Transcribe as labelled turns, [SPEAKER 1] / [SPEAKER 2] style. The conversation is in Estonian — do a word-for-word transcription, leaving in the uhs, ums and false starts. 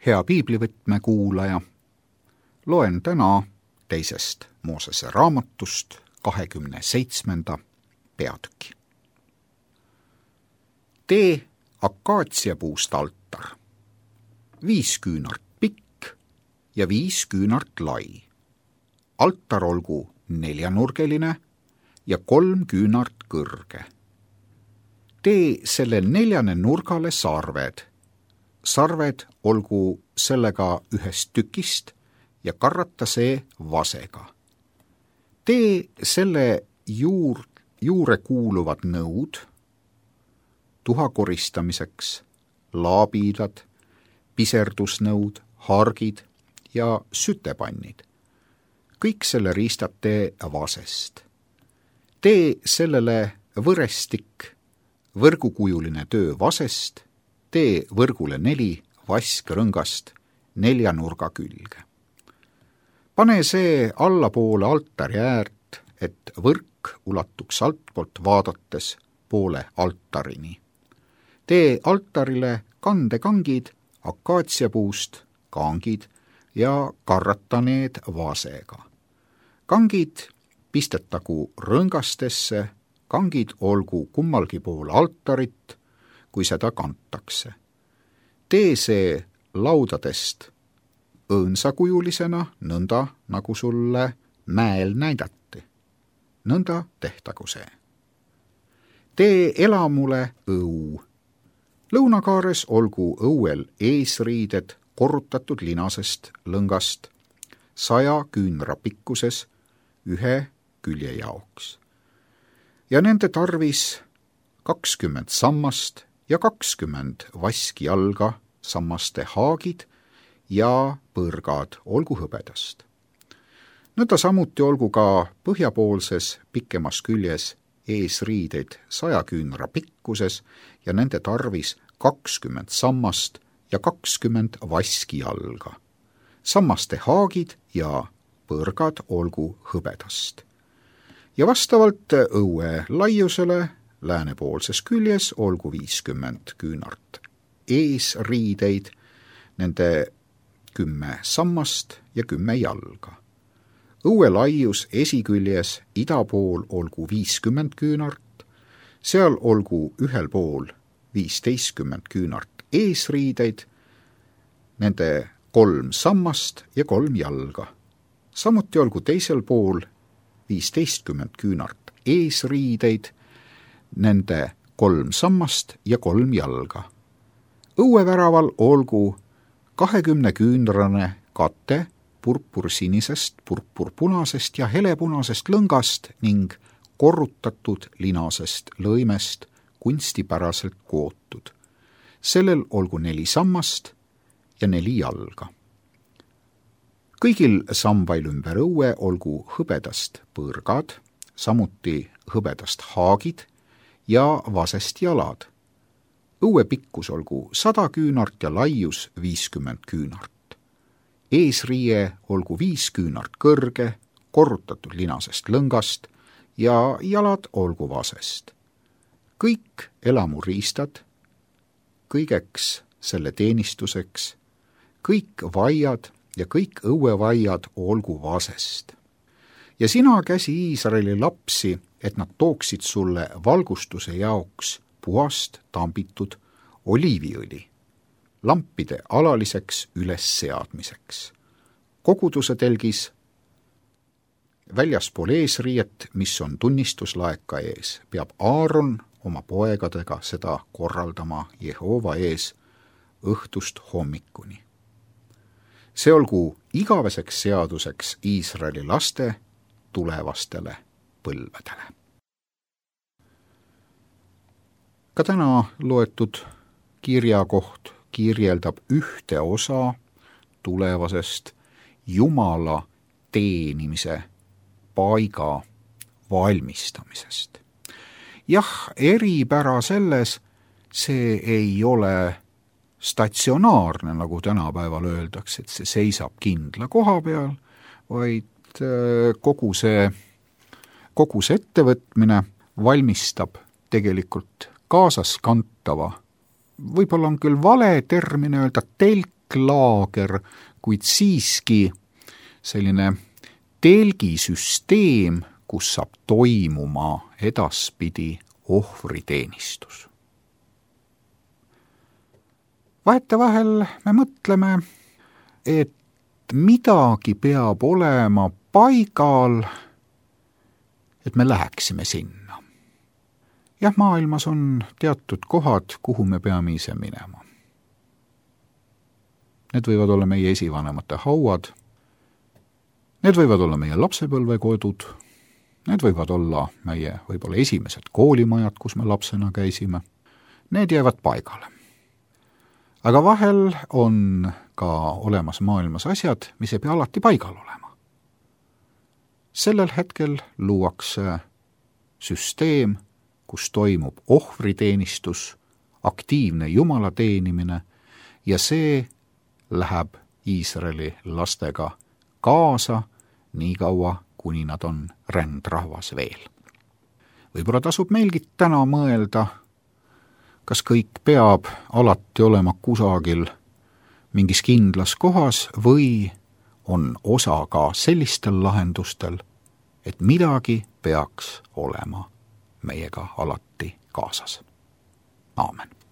[SPEAKER 1] Hea piiblivõtme kuulaja, loen täna teisest Moosese raamatust kahekümne seitsmenda peatüki. Tee akaatsiapuust altar, viis küünart pikk ja viis küünart lai. Altar olgu neljanurgeline ja kolm küünart kõrge. Tee selle neljane nurgale sarved. Sarved olgu sellega ühest tükist ja karrata see vasega. Tee selle juur, juure kuuluvad nõud, tuha koristamiseks, laabiidad, piserdusnõud, hargid ja sütepannid. Kõik selle riistad tee vasest. Tee sellele võrestik, võrgukujuline töö vasest, tee võrgule neli vaskrõngast nelja nurga külge. Pane see allapoole altari äärt, et võrk ulatuks altpoolt vaadates poole altarini. Tee altarile kandekangid, akaatsiapuust kangid ja karrata need vasega. Kangid pistetagu rõngastesse, kangid olgu kummalgi pool altarit, kui seda kantakse. Tee see laudadest õõnsakujulisena, nõnda nagu sulle mäel näidati. Nõnda tehtagu see. Tee elamule õu. Lõunakaares olgu õuel eesriided korrutatud linasest lõngast saja küünra pikkuses ühe külje jaoks. Ja nende tarvis kakskümmend sammast ja kakskümmend vaskijalga, sammaste haagid ja põrgad olgu hõbedast. Nõnda samuti olgu ka põhjapoolses pikemas küljes eesriideid saja küünra pikkuses ja nende tarvis kakskümmend sammast ja kakskümmend vaskijalga. Sammaste haagid ja põrgad olgu hõbedast. Ja vastavalt õue laiusele läänepoolses küljes olgu viiskümmend küünart eesriideid, nende kümme sammast ja kümme jalga. Õue laius esiküljes idapool olgu viiskümmend küünart, seal olgu ühel pool viisteistkümmend küünart eesriideid, nende kolm sammast ja kolm jalga. Samuti olgu teisel pool viisteistkümmend küünart eesriideid, nende kolm sammast ja kolm jalga. Õueväraval olgu kahekümne küünrane kate purpursinisest, purpurpunasest ja helepunasest lõngast ning korrutatud linasest lõimest kunstipäraselt kootud. Sellel olgu neli sammast ja neli jalga. Kõigil sambail ümber õue olgu hõbedast põrgad, samuti hõbedast haagid ja vasest jalad. Õue pikkus olgu sada küünart ja laius viiskümmend küünart. Eesriie olgu viis küünart kõrge, korrutatud linasest lõngast ja jalad olgu vasest. Kõik elamuriistad, kõigeks selle teenistuseks, kõik vaiad ja kõik õuevaiad olgu vasest. Ja sina käsi Iisraeli lapsi, et nad tooksid sulle valgustuse jaoks puhast tambitud oliiviõli, lampide alaliseks ülesseadmiseks. Koguduse telgis väljaspool eesriiet, mis on tunnistuslaeka ees, peab Aaron oma poegadega seda korraldama Jehova ees õhtust hommikuni. See olgu igaveseks seaduseks Iisraeli laste tulevastele põlvedele. Ka täna loetud kirjakoht kirjeldab ühte osa tulevasest Jumala teenimise paiga valmistamisest. Jah, eripära selles, see ei ole statsionaarne, nagu tänapäeval öeldakse, et see seisab kindla koha peal, vaid kogu see, kogu see ettevõtmine valmistab tegelikult kaasaskantava, võib-olla on küll vale termin öelda telk, telklaager, kuid siiski selline telgisüsteem, kus saab toimuma edaspidi ohvriteenistus. Vahetevahel me mõtleme, et midagi peab olema paigal, et me läheksime sinna. Jah, maailmas on teatud kohad, kuhu me peame ise minema. Need võivad olla meie esivanemate hauad, need võivad olla meie lapsepõlvekodud, need võivad olla meie võib-olla esimesed koolimajad, kus me lapsena käisime. Need jäävad paigale. Aga vahel on ka olemas maailmas asjad, mis ei pea alati paigal olema. Sellel hetkel luuakse süsteem, kus toimub ohvriteenistus, aktiivne Jumala teenimine ja see läheb Iisraeli lastega kaasa nii kaua, kuni nad on rändrahvas veel. Võib-olla tasub meilgi täna mõelda, kas kõik peab alati olema kusagil mingis kindlas kohas või on osa ka sellistel lahendustel, et midagi peaks olema meiega alati kaasas. Aamen.